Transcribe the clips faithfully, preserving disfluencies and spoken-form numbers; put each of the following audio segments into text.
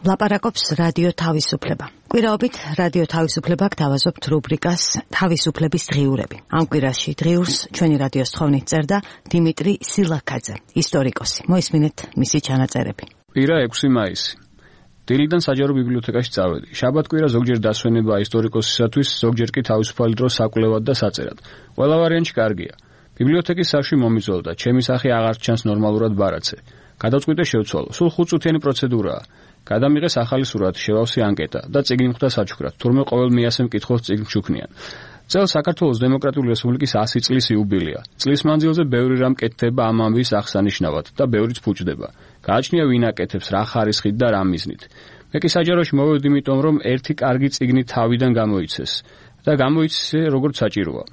ლაპარაკობს რადიო თავისუფლება. კვირაობით რადიო თავისუფლება გთავაზობთ რუბრიკას თავისუფლების დღიურები. ამ კვირაში დღიურს ჩვენი რადიოს თხოვნით წერდა დიმიტრი სილაქაძე, ისტორიკოსი. მოისმინეთ მისი ჩანაწერები. კვირა ექვსი მაისი. დილიდან საჯარო ბიბლიოთეკაში წავედი. შაბათ-კვირა ზოგჯერ დასვენებაა ისტორიკოსისათვის, ზოგჯერ კი თავისუფალი დრო საკვლევად და საწერად. ყველა ვარიანტი კარგია. ბიბლიოთეკის სახლში მომიწვევ და ჩემი სახე აღარ ჩანს ნორმალურად ბარაცე. გადავწყვიტე შევცვალო. სულ ხუთწუთიანი პროცედურაა. გადამიღეს ახალი სურათი, შევავსე ანკეტა და წიგნი მხვდა საჩუქრად. თურმე ყოველ მეასე მკითხველს წიგნს ჩუქნიან. წელს საქართველოს დემოკრატიული რესპუბლიკის ასი წლის იუბილეა. წლის მანძილზე ბევრი რამ კეთდება ამ ამბის აღსანიშნავად და ბევრიც ფუჭდება. გააჩნია ვინ აკეთებს, რა ხარისხით და რა მიზნით. მე კი საჯაროში მოვედი იმიტომ, რომ ერთი კარგი წიგნი თავიდან გამოიცეს და გამოიცე როგორც საჭიროა.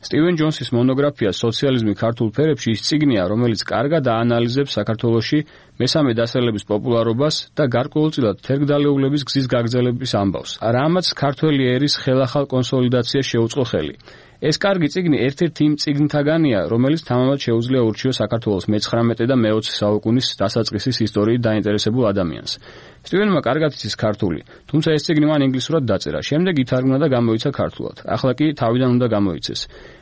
სტივენ ჯონსის მონოგრაფია სოციალიზმი ქართულ ფერებში ის წიგნია, რომელიც კარგად აანალიზებს საქართველოში მესამე დასახლების პოპულარობას და გარკვეულწილად თერგდალეულების გზის გაგრძელების ამბავს. რამაც ქართველი ერის ხელახალ კონსოლიდაციას შეუწყო ხელი. ეს კარგი წიგნი ერთ-ერთი იმ წიგნთაგანია, რომელიც თამამად შეუძლია ურჩიოს საქართველოს მეცხრამეტე და მეოცე საუკუნის დასაწყისის ისტორიით დაინტერესებულ ადამიანს. სტივენმა კარგად იცის ქართული, თუმცა ეს წიგნი მან ინგლისურად დაწერა. შემდეგ ითარგმნა და გამოიცა ქართულად. ახლა კი თავიდან უნდა გამოიცეს.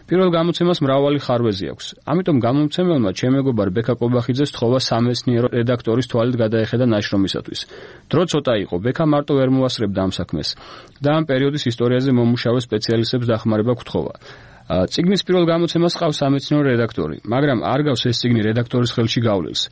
პირველ გამოცემას მრავალი ხარვეზი აქვს. ამიტომ გამომცემელმა ჩემ მეგობარ ბექა კობახიძეს თხოვა სამეცნიერო რედაქტორის თვალით გადაეხედა ნაშრომისათვის. დრო ცოტა იყო, ბექა მარტო ვერ მოასწრებდა ამ საქმეს და ამ პერიოდის ისტორიაზე მომუშავე სპეციალისტებს დახმარება გთხოვა. წიგნის პირველ გამოცემას ყავს სამეცნიერო რედაქტორი, მაგრამ არ გავს ეს წიგნი რედაქტორის ხელში გავლილს.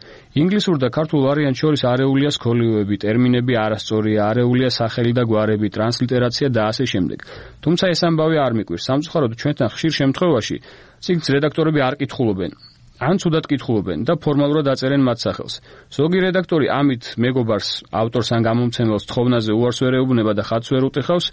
ინგლისურ და ქართულ ვარიანტს შორის არეულია სქოლიოები, ტერმინები არასწორია, არეულია სახელი და გვარები, ტრანსლიტერაცია და ასე შემდეგ. თუმცა ეს ამბავი არ მიკვირს. სამწუხაროდ ჩვენთან ხშირ შემთხვევაში წიგნს რედაქტორები არ კითხულობენ. ან ცუდად კითხულობენ და ფორმალურად აწერენ მათ სახელს. ზოგი რედაქტორი ამით მეგობარს, ავტორს ან გამომცემელს თხოვნაზე უარს ვერ ეუბნება და ხატს ვერ უტეხავს,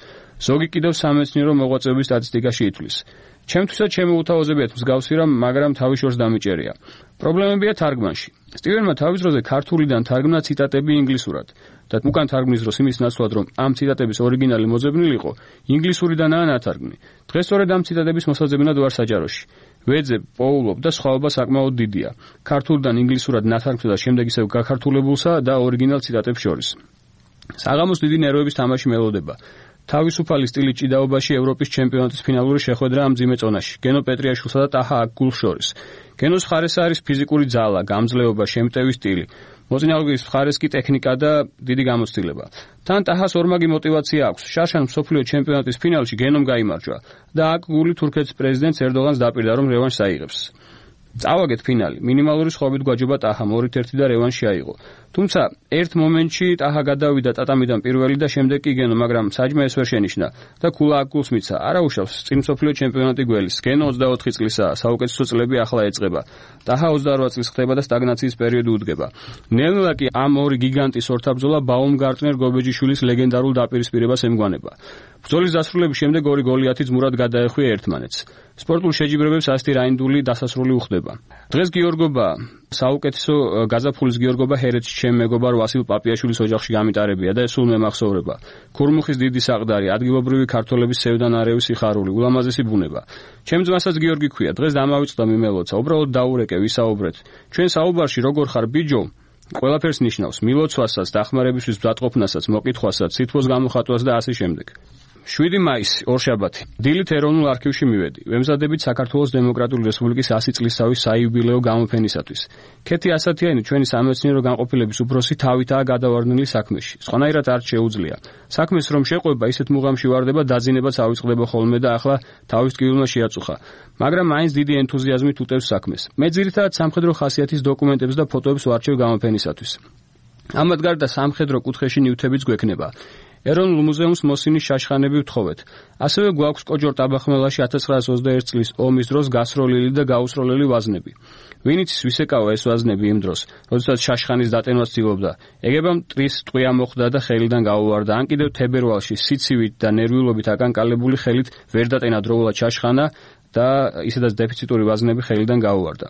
ზოგი კიდევ სამეცნიერო მოღვაწეობის სტატისტიკაში ითვლის. ჩემთვისაც ჩემი უთავაზებიათ მსგავსი რამ, მაგრამ თავის შორს დამიჭერია. პრობლემებია თარგმანში. სტივენმა თავის დროზე ქართულიდან თარგმნა ციტატები ინგლისურად და უკან თარგმნის დროს იმის ნაცვლად, რომ ამ ციტატების ორიგინალი მოძებნილიყო, ინგლისურიდანაა ნათარგმნი. დღეს სწორედ ამ ციტატების მოსაძებნად ვარ საჯაროში. ვეძებ, პოულობ და სხვაობა საკმაოდ დიდია. ქართულიდან ინგლისურად ნათარგმნსა და შემდეგ ისევ გაქართულებულსა და ორიგინალ ციტატებს შორის. საღამოს დიდი ნერვების თამაში მელოდება. თავისუფალი სტილის ჭიდაობაში ევროპის ჩემპიონატის ფინალური შეხვედრა ამ მძიმე წონაში. გენო პეტრიაშვილსა და ტაჰა აკგულს შორის. გენოს მხარეს არის ფიზიკური ძალა, გამძლეობა, შემტევი სტილი. მოწინააღმდეგის მხარეს კი ტექნიკა და დიდი გამოცდილება. თან ტაჰას ორმაგი мотиваცია აქვს. შარშან მსოფლიო ჩემპიონატის ფინალში გენომ გაიმარჯვა და აკგული თურქეთის პრეზიდენტს ერდოღანს დაპირდა, რომ რევანშს აიღებს. წავაგეთ ფინალი. მინიმალური სხვაობით გვაჯობა ტაჰამ ორით ერთი და რევანში აიღო. თუმცა ერთ მომენტში ტაჰა გადავიდა ტატამიდან პირველი და შემდეგ კი გენო, მაგრამ საჯმა ეს ვერ შენიშნა და ქულა აკგულს მიცა. არა უშავს წინ მსოფლიო ჩემპიონატი გველის. გენო ოცდაოთხი წლისაა, საუკეთესო წლები ახლა ეწყება. ტაჰა ოცდაორვა წლის ხდება და სტაგნაციის პერიოდი უდგება. ნელ-ნელა კი ამ ორი გიგანტის ორთაბრძოლა ბაუმგარტნერ გობეჯიშვილის ლეგენდარულ დაპირისპირებას ემგვანება. ბრძოლის დასრულების შემდეგ ორი გოლიათი ძმურად გადაეხვია ერთმანეთს. სპორტულ შეჯიბრებებს ასეთი რაინდული დასასრული უხდება. დღეს გიორგობა, საუკეთესო გაზაფხულის გიორგობა ჰერეთში ჩემ მეგობარ ვასილ პაპიაშვილის ოჯახში გამიტარებია და ეს სულ მემახსოვრება. ქურმუხის დიდი საყდარი, ადგილობრივი ქართველების სევდანარევი სიხარული, ულამაზესი ბუნება. ჩემ ძმასაც გიორგი ქვია, დღეს დამავიწყდა მიმელოცა, უბრალოდ დაურეკე, ვისაუბრეთ. ჩვენ საუბარში როგორ ხარ ბიჯო? ყველაფერს ნიშნავს, მილოცვასაც, დახმარებისთვის ბზატყოფნასაც, მოკითხვასაც, სითბოს გამოხატვას და ასე შემდეგ. შვიდი მაისი, ორშაბათი. დილით ეროვნულ არქივში მივედი. ვემზადებით საქართველოს დემოკრატიული რესპუბლიკის ასი წლისთავის საიუბილეო გამოფენისათვის. ქეთი ასათიანი ჩვენი სამეცნიერო განყოფილების უფროსი თავითაა გადავარდნილი საქმეში. სხვანაირად არ შეუძლია. საქმეს რომ შეყვება, ისეთ მუღამში ვარდება, დაძინებაც ავიწყდება ხოლმე და ახლა თავის ტკივილმა შეაწუხა. მაგრამ მაინც დიდი ენთუზიაზმით უტევს საქმეს. მე ძირითადად სამხედრო ხასიათის დოკუმენტებს და ფოტოებს ვარჩევ გამოფენისათვის. ამათ გარდა სამხედრო კუთხეში ნივთებიც გვექნება. ეროვნულ მუზეუმს მოსინის შაშხანები ვთხოვეთ. ასევე გვაქვს კოჯორ ტაბახმელაში ათას ცხრაას ოცდაერთი წლის ომის დროს გასროლილი და გაუსროლელი ვაზნები. ვინ იცის ვის ეკავა ეს ვაზნები იმ დროს, როდესაც შაშხანის დატენვას ცდილობდა. ეგებამ მტრის ტყვია მოხდა და ხელიდან გაუვარდა. ან კიდევ თებერვალში სიცივით და ნერვიულობით აკანკალებული ხელით ვერ დატენა დროულად შაშხანა და ისედაც დეფიციტური ვაზნები ხელიდან გაუვარდა.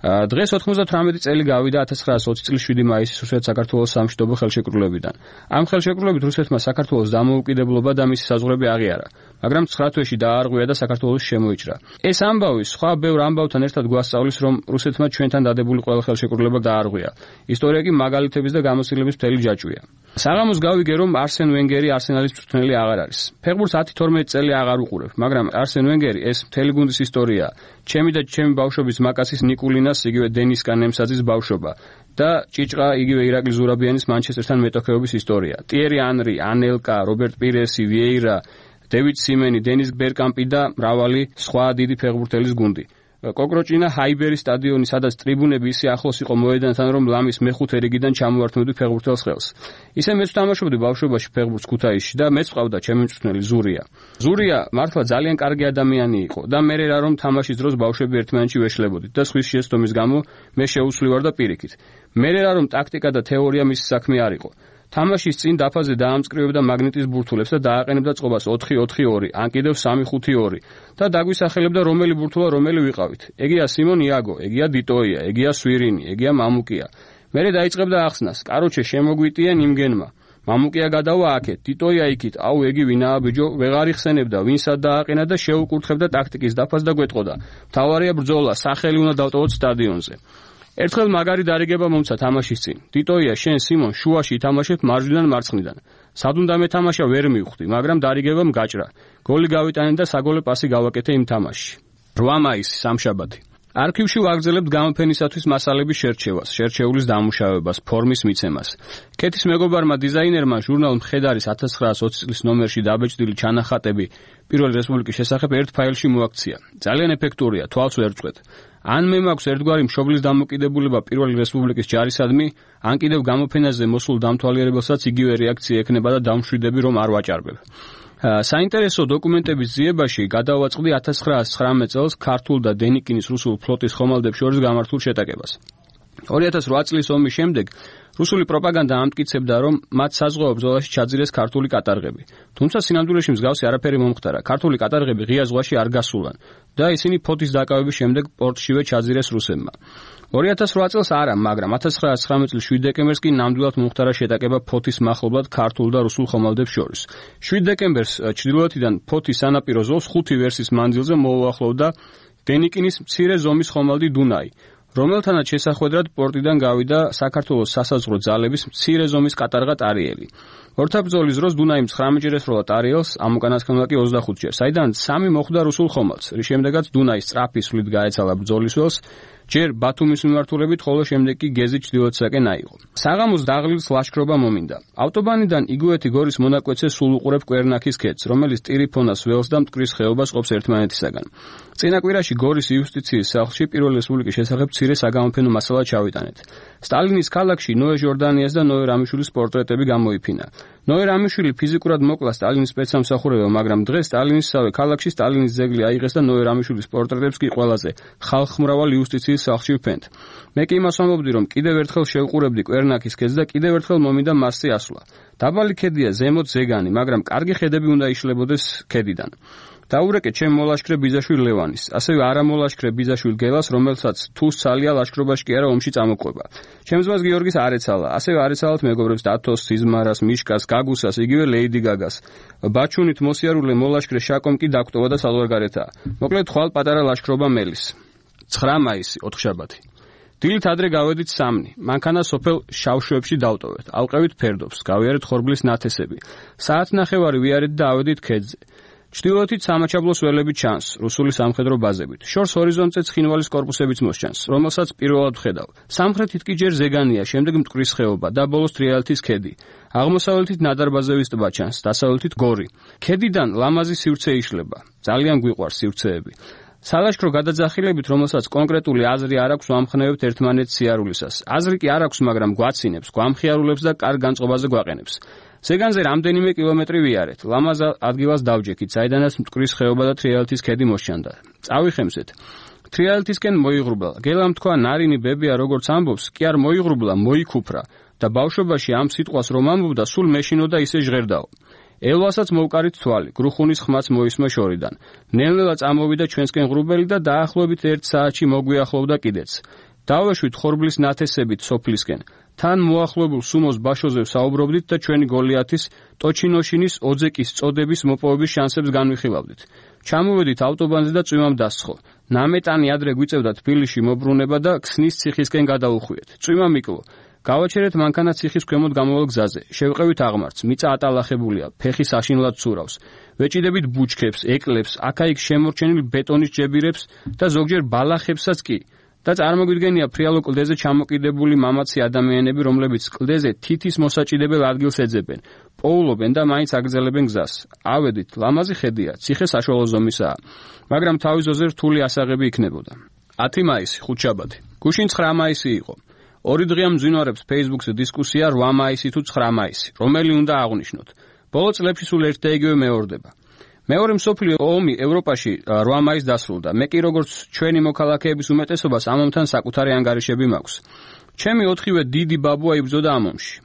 დღეს ოთხმოცდათვრამეტი წელი გავიდა ათას ცხრაას ოცი წლის შვიდი მაისის რუსეთ-საქართველოს სამშვიდობო ხელშეკრულებიდან. ამ ხელშეკრულებით რუსეთმა საქართველოს დამოუკიდებლობა და მისი საზღვრები აღიარა, მაგრამ ცხრა თვეში დაარღვია და საქართველოს შემოიჭრა. ეს ამბავი სხვა ბევრ ამბავთან ერთად გვასწავლის, რომ რუსეთმა ჩვენთან დადებული ყველა ხელშეკრულება დაარღვია. ისტორია კი მაგალითების და გამოცდილების მთელი ჯაჭვია. საღამოს გავიგე, რომ არსენ ვენგერი არსენალის მწვრთნელი აღარ არის. ფეხბურთს ათი თორმეტი წელი აღარ უყურებ, მაგრამ არსენ ვენგერი ეს მთელი გუნდის ისტორია. ჩემი და ჩემი ბავშვობის მაკასის ნიკულინას, იგივე დენის კანემსაძის ბავშვობა და ჭიჭყა იგივე ირაკლი ზურაბიანის მანჩესტერთან მეტოქეობის ისტორია. ტიერი ანრი, ანელკა, რობერტ პირესი, ვიეირა, დევიდ სიმენი, დენის ბერკამპი და მრავალი სხვა დიდი ფეხბურთელის გუნდი. კოკროჭინა ჰაიბერის სტადიონი, სადაც ტრიბუნები ისე ახლოს იყო მოედანთან, რომ ლამის მეხუთე რიგიდან ჩამოვართმევდი ფეხბურთელს ხელს. ისე მეც ვთამაშობდი ბავშვობაში ფეხბურთს ქუთაისში და მეც ყავდა ჩემი მწვრთნელი ზურია. ზურია მართლა ძალიან კარგი ადამიანი იყო და მე რა რომ თამაშის დროს ბავშვები ერთმანეთში ვეშლებოდით და სხვის შეცდომის გამო მე შეუცვლი ვარ და პირიქით. მე რა რომ ტაქტიკა და თეორია მისი საქმე არ იყო. თამაშის წინ დაფაზე დაამწკრივებდა მაგნიტის ბურთულებს და დააყენებდა წყობას ოთხი ოთხი ორი, ან კიდევ სამი ხუთი ორი და დაგვისახელებდა რომელი ბურთულა რომელი ვიყავით. ეგია სიმონ იაგო, ეგია დიტოია, ეგია სვირინი, ეგია მამუკია. მერე დაიწყებდა ახსნას. კაროჩე შემოგვიტიან იმგენმა. მამუკია გადავა აქეთ, დიტოია იქით. აუ ეგი ვინაა ბიჯო, ვეღარ იხსენებდა, ვინსა დააყენა და შეუკურთხებდა ტაქტიკის დაფას და გვეტყოდა. მთავარია ბრძოლა, სახელი უნდა დავტოვოთ სტადიონზე. ერთხელ მაგარი დარიგება მომცა თამაშის წინ. დიტოია, შენ სიმონ შუაში ითამაშებ მარჯვნიდან მარცხნიდან. სად უნდა მეთამაშა ვერ მივხვდი, მაგრამ დარიგებამ გაჭრა. გოლი გავიტანე და საგოლე პასი გავაკეთე იმ თამაშში. რვა მაისი სამშაბათი. არქივში ვაგრძელებთ გამოფენისათვის მასალების შერჩევას, შერჩეულის დამუშავებას, ფორმის მიცემას. კეთის მეგობარმა დიზაინერმა ჟურნალ მხედარის ათას ცხრაას ოცი წლის ნომერში დაბეჭდილი ჩანახატები პირველი რესპუბლიკის შესახებ ერთ ფაილში მოაქცია. ძალიან ეფექტურია, თვალს ვერ წვეთ. ან მე მაქვს ერთგვარი მშობლის დამოკიდებულება პირველი რესპუბლიკის ჯარისადმი, ან კიდევ გამოფენაზე მოსულ დამთვალიერებელსაც იგივე რეაქცია ექნება და დამშვიდები რომ არ ვაჭარბებ. საინტერესო დოკუმენტების ძიებაში გადავაწყდი ათას ცხრაას ცხრამეტ წელს ქართულ და დენიკინის რუსულ ფლოტის ხომალდებს შორის გამართულ შეტაკებას. ორი ათას რვა წლის ომის შემდეგ რუსული პროპაგანდა ამტკიცებდა, რომ მათ საზღვაო ბრძოლაში ჩაძირეს ქართული კატარღები. თუმცა სინამდვილეში მსგავსი არაფერი მომხდარა. ქართული კატარღები ღია ზღვაში არ გასულან და ისინი ფოთის დაკავების შემდეგ პორტშივე ჩაძირეს რუსებმა. ორი ათას რვა წელს არა, მაგრამ ათას ცხრაას ცხრამეტ წლის შვიდ დეკემბერს კი ნამდვილად მომხდარა შეტაკება ფოთის მახლობლად ქართულ და რუსულ ხომალდებს შორის. შვიდ დეკემბერს ჩრდილოეთიდან ფოთის სანაპირო ზოლს ხუთი ვერსის მანძილზე მოუახლოვდა დენიკინის მცირე ზომის ხომალდი დუნაი, რომელთანაც შესახვედრად პორტიდან გავიდა საქართველოს სასაზღვრო ძალების მცირე ზომის კატარღა ტარიელი. ორთაბრძოლის დროს დუნაიმ ცხრამეჯერესროლა ტარიელს, ამ უკანასკნელმა კი ოცდახუთჯერ, საიდან სამი მოხვდა რუსულ ხომალდს, რის შემდეგაც დუნაი სწრაფი სვლით გაეცალა ბრძოლის ველს, ჯერ ბათუმის მიმართულებით, ხოლო შემდეგ კი გეზის ჩრდილოეთისაკენ აიღო. საღამოს დაღლილს ლაშქრობა მომინდა. ავტობანიდან იგუეთი გორის მონაკვეთზე სულ უყურებ კვერნაქის ქედს, რომელიც ტირიფონას ველს და მტკვრის ხეობას ყოფს ერთმანეთისაგან. წინა კვირაში გორის იუსტიციის სახლში პირველი რესპუბლიკის შესახებ მცირე საგამოფენო მასალა ჩავიტანეთ. სტალინის ქალაქში ნოე ჟორდანიას და ნოე რამიშვილის პორტრეტები გამოიფინა. ნოე რამიშვილი ფიზიკურად მოკლა სტალინის სპეცსამსახურებო, მაგრამ დღეს სტალინისსავე ქალაქში სტალინის ძეგლი აიღეს და ნოე რამიშვილის პორტრეტებს კი ყველაზე ხალხმრავალ იუსტიციის სახლში ვფენთ. მე კი იმას ვამბობდი, რომ კიდევ ერთხელ შევყურებდი კვერნაქის ქედს და კიდევ ერთხელ მომინდა მასზე ასვლა. დაბალი ქედია ზემოთ ზეგანი, მაგრამ კარგი ხედები უნდა იშლებოდეს ქედიდან. დაურეკე ჩემ მოლაშქრე ბიზაშვილ ლევანის, ასევე არამოლაშქრე ბიზაშვილ გელას, რომელსაც თუ სალია ლაშქრობაში კი არა ომში წამოყვება. ჩემს ძმას გიორგის არ ეცალა, ასევე არ ეცალათ მეგობრებს დათოს, სიზმარას, მიშკას, გაგუსას, იგივე ლეიდი გაგას. ბაჩუნით მოსიარულე მოლაშქრე შაკომ კი დაგვტოვა და საზღვარგარეთაა. მოკლედ ხვალ პატარა ლაშქრობა მელის. ცხრა მაისი, ოთხშაბათი. დილით ადრე გავედით სამნი, მანქანა სოფელ შავშვებში დავტოვეთ, ალყევით ფერდობს, გავიარეთ ხორბლის ნათესები. საათნახევარი ვიარეთ და ავედით ქედზე. ჩრდილოეთით სამაჩაბლოს ველები ჩანს, რუსული სამხედრო ბაზებით. შორს ჰორიზონტზე ცხინვალის კორპუსებიც მოსჩანს, რომელსაც პირველად ვხედავ. სამხრეთით კი ჯერ ზეგანია, შემდეგ მტკვრის ხეობა და ბოლოს თრიალეთის ქედი. აღმოსავლეთით ნადარბაზევის ტბა ჩანს, დასავლეთით გორი. ქედიდან ლამაზი სივრცე იშლება. ძალიან გვიყვარს სივრცეები. სალაშქრო გადაძახილებით, რომელსაც კონკრეტული აზრი არ აქვს, ვამხნევებთ ერთმანეთს სიარულისას. აზრი კი არ აქვს, მაგრამ გვაცინებს, გვამხიარულებს და კარგ განწყობაზე გვაყენებს. ზეგანზე რამდენიმე კილომეტრი ვიარეთ. ლამაზ ადგილას დავჯექით, საიდანაც მტკვრის ხეობა და თრიალეთის ქედი მოსჩანდა. წავიხემსეთ. თრიალეთისკენ მოიღრუბლა. გელამ თქვა, ნარინი ბებია როგორც ამბობს, კი არ მოიღრუბლა, მოიქუფრა და ბავშვობაში ამ სიტყვას რომ ამბობდა, სულ მეშინოდა ისე ჟღერდაო. ელვასაც მოვკარით თვალი, გრუხუნის ხმაც მოისმა შორიდან. ნელ-ნელა წამოვიდა ჩვენსკენ ღრუბელი და დაახლოებით ერთ საათში მოგვიახლოვდა კიდეც. დავეშვით ხორბლის ნათესებით სოფლისკენ. თან მოახლოებულ სუმოს ბაშოზე საუბრობდით და ჩვენი გოლიათის ტოჩინოშინის ოძეკის წოდების მოპოვების შანსებს განვიხილავდით. ჩამოვედით ავტობანზე და წვიმამ დასცხო. ნამეტანი ადრე გვიწევდა თბილისში მობრუნება და ქსნის ციხისკენ გადაუხვიეთ. წვიმა მიკლო. გავაჩერეთ მანქანა ციხის ქვემოთ გამოვალ გზაზე. შევყევით აღმართს, მიწა ატალახებულია, ფეხი საშინლად ცურავს. ვეჭიდებით ბუჩქებს, ეკლებს, აქა-იქ შემორჩენილ ბეტონის ჯებირებს და ზოგჯერ ბალახებსაც კი. და წარმოგვიდგენია ფრიალო კლდეზე ჩამოკიდებული მამაცი ადამიანები, რომლებიც კლდეზე თითის მოსაჭიდებელ ადგილს ეძებენ, პოულობენ და მაინც აგრძელებენ გზას. ავედით, ლამაზი ხედია, ციხე საშუალო ზომისაა, მაგრამ თავის ზოზე რთული ასაღები იქნებოდა. ათი მაისი, ხუთშაბათი. გუშინ ცხრა მაისი იყო. ორი დღეა მძვინვარებს Facebook-ზე დისკუსია რვა მაისი თუ ცხრა მაისი, რომელი უნდა აღვნიშნოთ. ბოლო წლებში სულ ერთ და იგივე მეორდება. მეორე მსოფლიო ომი ევროპაში რვა მაისს დასრულდა. მე კი როგორც ჩვენი მოქალაქეების უმეტესობას ამ ომთან საკუთარი ანგარიშები მაქვს. ჩემი ოთხივე დიდი ბაბუა იბრძოდა ამ ომში.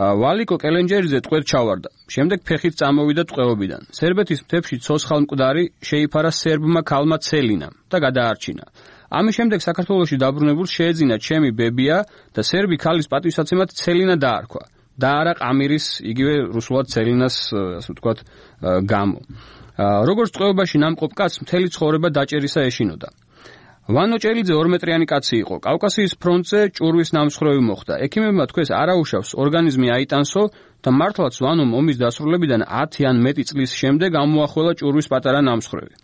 ვალიკო კელენჯერიძე ტყვედ ჩავარდა. შემდეგ ფეხით წამოვიდა ტყვეობიდან. სერბეთის მთებში ცოცხალ მკვდარი შეიფარა სერბმა ქალმა ცელინამ და გადაარჩინა. ამის შემდეგ საქართველოში დაბრუნებულს შეეძინა ჩემი ბებია და სერბი ქალის პატივსაცემად ცელინა დაარქვა. და არა ყამირის, იგივე რუსულად ცელინას, ასე ვთქვათ, გამო. როგორც ტყვეობაში ნამყოფ კაცს მთელი ცხოვრება დაჭერისა ეშინოდა. ვანო ჭელიძე ორმეტრიანი კაცი იყო. კავკასიის ფრონტზე ჭურვის ნამსხვრევი მოხდა. ექიმებმა თქვეს არაუშავს ორგანიზმი აიტანსო და მართლაც ვანომ ომის დასრულებიდან ათი ან მეტი წლის შემდეგ ამოახველა ჭურვის პატარა ნამსხვრევი.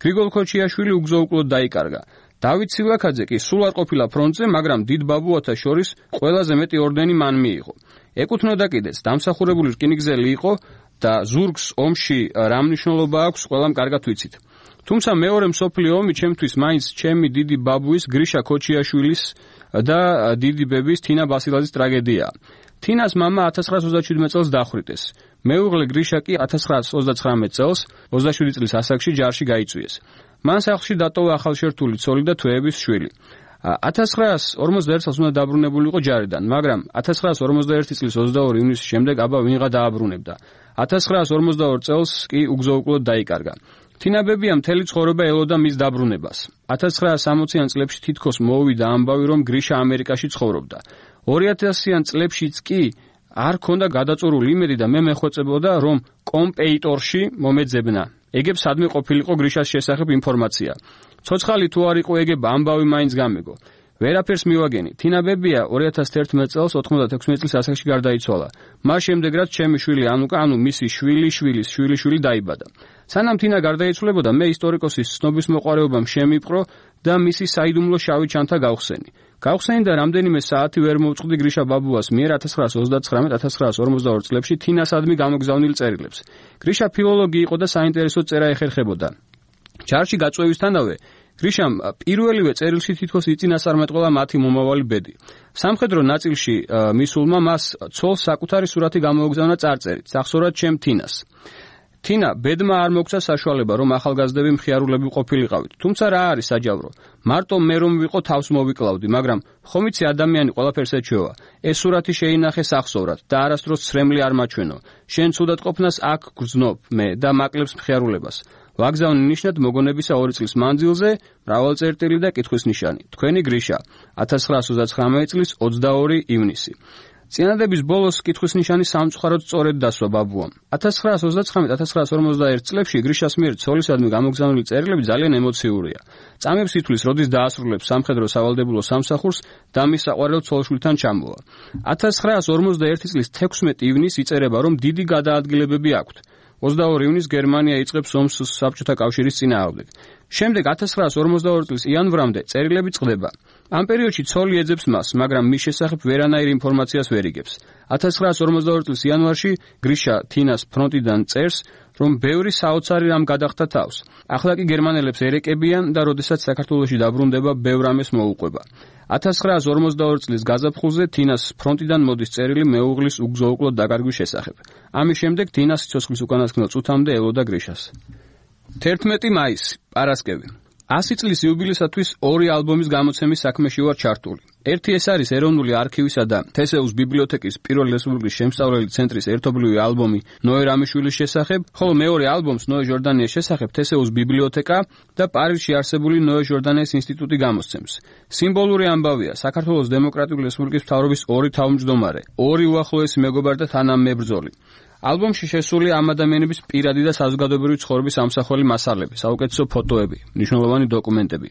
გრიგოლ ქოჩიაშვილი უგზო-უკვლოდ დაიკარგა. დავით სილაქაძე კი სულ არ ყოფილა ფრონტზე, მაგრამ დიდ ბაბუათა შორის ყველაზე მეტი ორდენი მან მიიღო. ეკუთვნოდა კიდეც, დამსახურებული რკინიგზელი იყო და ზურგს ომში რა მნიშვნელობა აქვს, ყველამ კარგად ვიცით. თუმცა მეორე მსოფლიო ომი ჩემთვის მაინც ჩემი დიდი ბაბუის გრიშა ქოჩიაშვილის და დიდი ბების თინა ბასილაძის ტრაგედიაა. თინას მამა ათას ცხრაას ოცდაშვიდმეტ წელს დახვრიტეს. მეუღლე გრიშა კი ათას ცხრაას ოცდაცხრამეტ წელს ოცდაშვიდი წლის ასაკში ჯარში გაიწვიეს. მან სახლში დატოვა ახალშერთული ცოლი და თვეების შვილი. ათას ცხრაას ორმოცდაერთ წელს უნდა დაბრუნებულიყო ჯარიდან, მაგრამ ათას ცხრაას ორმოცდაერთი წლის ოცდაორი ივნისის შემდეგ აბა ვინღა დააბრუნებდა. ათას ცხრაას ორმოცდაორ წელს კი უგზო-უკვლოდ დაიკარგა. თინა ბებია მთელი ცხოვრება ელოდა მის დაბრუნებას. ათას ცხრაას სამოციან წლებში თითქოს მოვიდა ამბავი, რომ გრიშა ამერიკაში ცხოვრობდა. ორი ათასიან წლებშიც კი არ ქონდა გადაწურული იმედი და მე მეხვეწებოდა, რომ კომპეიტორში მომეძებნა. ეგებ სადმე ყოფილიყო გრიშას შესახებ ინფორმაცია. ცოცხალი თუ არ იყო ეგებ ამბავი მაინც გამეგო. ვერაფერს მივაგენი. თინა ბებია ორი ათას თერთმეტ წელს ოთხმოცდათექვსმეტ წლის ასაკში გარდაიცვალა. მას შემდეგ რაც ჩემი შვილი ანუკა, ანუ მისი შვილი შვილის შვილი შვილი დაიბადა. სანამ თინა გარდაიცვლებოდა, მე ისტორიკოსის ცნობის მოყვარეობამ შემიპყრო და მისი საიდუმლო შავი ჩანთა გავხსენი. გავხსენი და რამდენიმე საათი ვერ მოვწყდი გრიშა ბაბუას მიერ ათას ცხრაას ოცდაცხრამეტ ათას ცხრაას ორმოცდაორ წლებში თინასადმი გამოგზავნილ წერილებს. გრიშა ფილოლოგი იყო და საინტერესო წერა ეხერხებოდა. ჯარში გაწვევისთანავე გრიშამ პირველივე წერილში თითქოს იწინასწარმეტყველა მათი მომავალი ბედი. სამხედრო ნაწილში მისულმა მას ცოლს საკუთარი სურათი გამოუგზავნა წარწერით, სახსოვრად ჩემ თინას. თინა ბედმა არ მოგცა საშუალება, რომ ახალგაზრდები მხიარულები ყოფილიყავით. თუმცა რა არის საჯავრო? მარტო მე რომ ვიყო თავს მოვიკლავდი, მაგრამ ხომ იცი ადამიანი ყველაფერს ეჩვევა. ეს სურათი შეინახე სახსოვრად და არასდროს ცრემლი არ მაჩვენო. შენ ცუდად ყოფნას აქ გრძნობ მე და მაკლებს მხიარულებას. ვაგზავნე ნიშნად მოგონებისა ორი წლის მანძილზე, მრავალწერტილი და კითხვის ნიშანი. თქვენი გრიშა, ათას ცხრაას ოცდაცხრამეტ წლის ოცდაორი ივნისი. წინადების ბოლოს კითხვის ნიშანი სამწუხაროდ სწორედ დასვა ბაბუამ. ათას ცხრაას ოცდაცხრამეტ ათას ცხრაას ორმოცდაერთ წლებში გრიშას მიერ ცოლისადმი გამოგზავნილი წერილები ძალიან ემოციურია. წამებს ითვლის, როდის დაასრულებს სამხედრო სავალდებულო სამსახურს და მის საყვარელ ცოლშვილთან ჩამოვა. ათას ცხრაას ორმოცდაერთი წლის თექვსმეტი ივნისს იწერება, რომ დიდი გადაადგილებები აქვთ. ოცდაორი ივნისს გერმანია იწყებს ომს საბჭოთა კავშირის წინააღმდეგ. შემდეგ ათას ცხრაას ორმოცდაორი წლის იანვრამდე წერილები წყდება. ამ პერიოდში ცოლი ეძებს მას, მაგრამ მის შესახებ ვერანაირ ინფორმაციას ვერ იგებს. ათას ცხრაას ორმოცდაორი წლის იანვარში გრიშა თინას ფრონტიდან წერს, რომ ბევრი საოცარი რამ გადახდა თავს. ახლა კი გერმანელებს ერეკებიან და როდესაც საქართველოში დაბრუნდება, ბევრ ამას მოუყვება. ათას ცხრაას ორმოცდაორი წლის გაზაფხულზე თინას ფრონტიდან მოდის წერილი მეუღლის უგზო-უკვლოდ დაკარგვის შესახებ. ამის შემდეგ თინა სიცოცხლის უკანასკნელ წუთამდე ელოდა გრიშას. თერთმეტი მაისი, პარასკევი. ასი წლის იუბილესათვის ორი ალბომის გამოცემის საქმეში ვარ ჩართული. ერთი ეს არის ეროვნული არქივისა და თესეუს ბიბლიოთეკის პირველი რესპუბლიკის შემსწავლელი ცენტრის ერთობლივი ალბომი ნოე რამიშვილის შესახებ, ხოლო მეორე ალბომს ნოე ჟორდანიას შესახებ თესეუს ბიბლიოთეკა და პარიზში არსებული ნოე ჟორდანიას ინსტიტუტი გამოსცემს. სიმბოლური ამბავია საქართველოს დემოკრატიული რესპუბლიკის მთავრობის ორი თავმჯდომარე, ორი უახლოესი მეგობარი და თანამებრძოლი. ალბომში შესული ამ ადამიანების პირადი და საზოგადოებრივი ცხოვრების ამსახველი მასალები, საუკეთესო ფოტოები, მნიშვნელოვანი დოკუმენტები.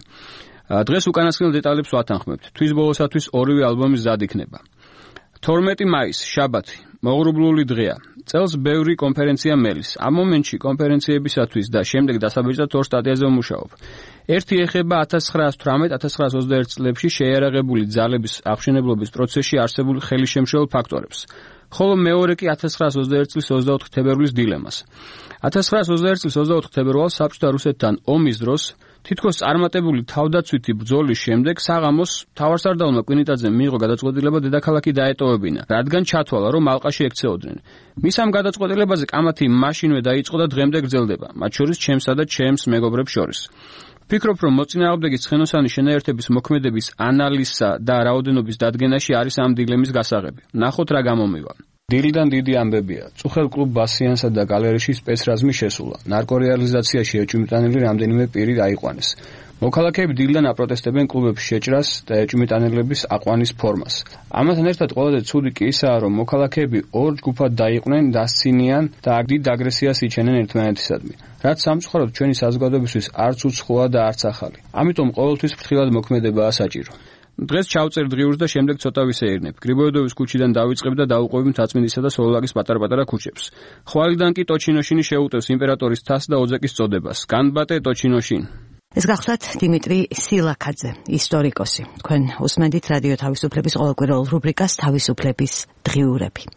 დღეს უკანასკნელ დეტალებს ვათანხმებთ. თვის ბოლოსათვის ორივე ალბომი მზად იქნება. თორმეტი მაისი, შაბათი, მოღრუბლული დღეა. წელს ბევრი კონფერენცია მელის. ამ მომენტში კონფერენციებისათვის და შემდეგ დასაბეჭდად ორ სტატიაზე ვმუშაობ. ერთი ეხება ათას ცხრაას თვრამეტ ათას ცხრაას ოცდაერთ წლებში შეიარაღებული ძალების აღმშენებლობის პროცესში არსებული ხელისშემშეულ ფაქტორებს. ხოლო მეორე კი ათას ცხრაას ოცდაერთ წლის ოცდაოთხი თებერვლის დილემას. ათას ცხრაას ოცდაერთ წლის ოცდაოთხი თებერვალს საბჭოთა რუსეთთან ომის დროს თითქოს წარმატებული თავდაცვითი ბრძოლის შემდეგ საღამოს მთავარსარდალმა კვინიტაძემ მიიღო გადაწყვეტილება დედაქალაქი დაეტოვებინა, რადგან ჩათვალა, რომ ალყაში ექცეოდნენ. მის ამ გადაწყვეტილებაზე კამათი მაშინვე დაიწყო და დღემდე გრძელდება, მათ შორის ჩემსა და ჩემს მეგობრებს შორის. ვფიქრობ, რომ მოწინააღმდეგის ცხენოსანი შენაერთების მოქმედების ანალიზსა და რაოდენობის დადგენაში არის ამ დილემის გასაღები. ნახოთ რა გამომივა. დილიდან დიდი ამბებია. წუხელ კლუბ ბასიანსა და გალერეში სპეცრაზმი შესულა. ნარკორეალიზაციაში ეჭვმიტანილი რამდენიმე პირი აიყვანეს. მოქალაქეები დილიდან აპროტესტებენ კლუბებში შეჭრას და ეჭვმიტანელების აყვანის ფორმას. ამასთან ერთად ყველაზე ცუდი კი ისაა, რომ მოქალაქეები ორ ჯგუფად დაიყვნენ, დასცინიან და დიდ აგრესიას იჩენენ ერთმანეთისადმი. რაც სამწუხაროდ ჩვენი საზოგადოებისთვის არც უცხოა და არც ახალი. ამიტომ ყოველთვის ფრთხილად მოქმედებაა საჭირო. დღეს ჩავწერ დღიურს და შემდეგ ცოტა ვისეირნებ. გრიბოედოვის ქუჩიდან დავიწყებ და დავუყვები მთაწმინდისა და სოლოლაკის პატარ-პატარა ქუჩებს. ხვალიდან კი ტოჩინოშინი შეუტევს იმპერატორის თასს და ოძეკის წოდებას. განბატე ტოჩინოშინ. ეს გახლავთ დიმიტრი სილაქაძე, ისტორიკოსი. თქვენ უსმენთ რადიო თავისუფლების ყოველკვირეულ რუბრიკას თავისუფლების დღიურები.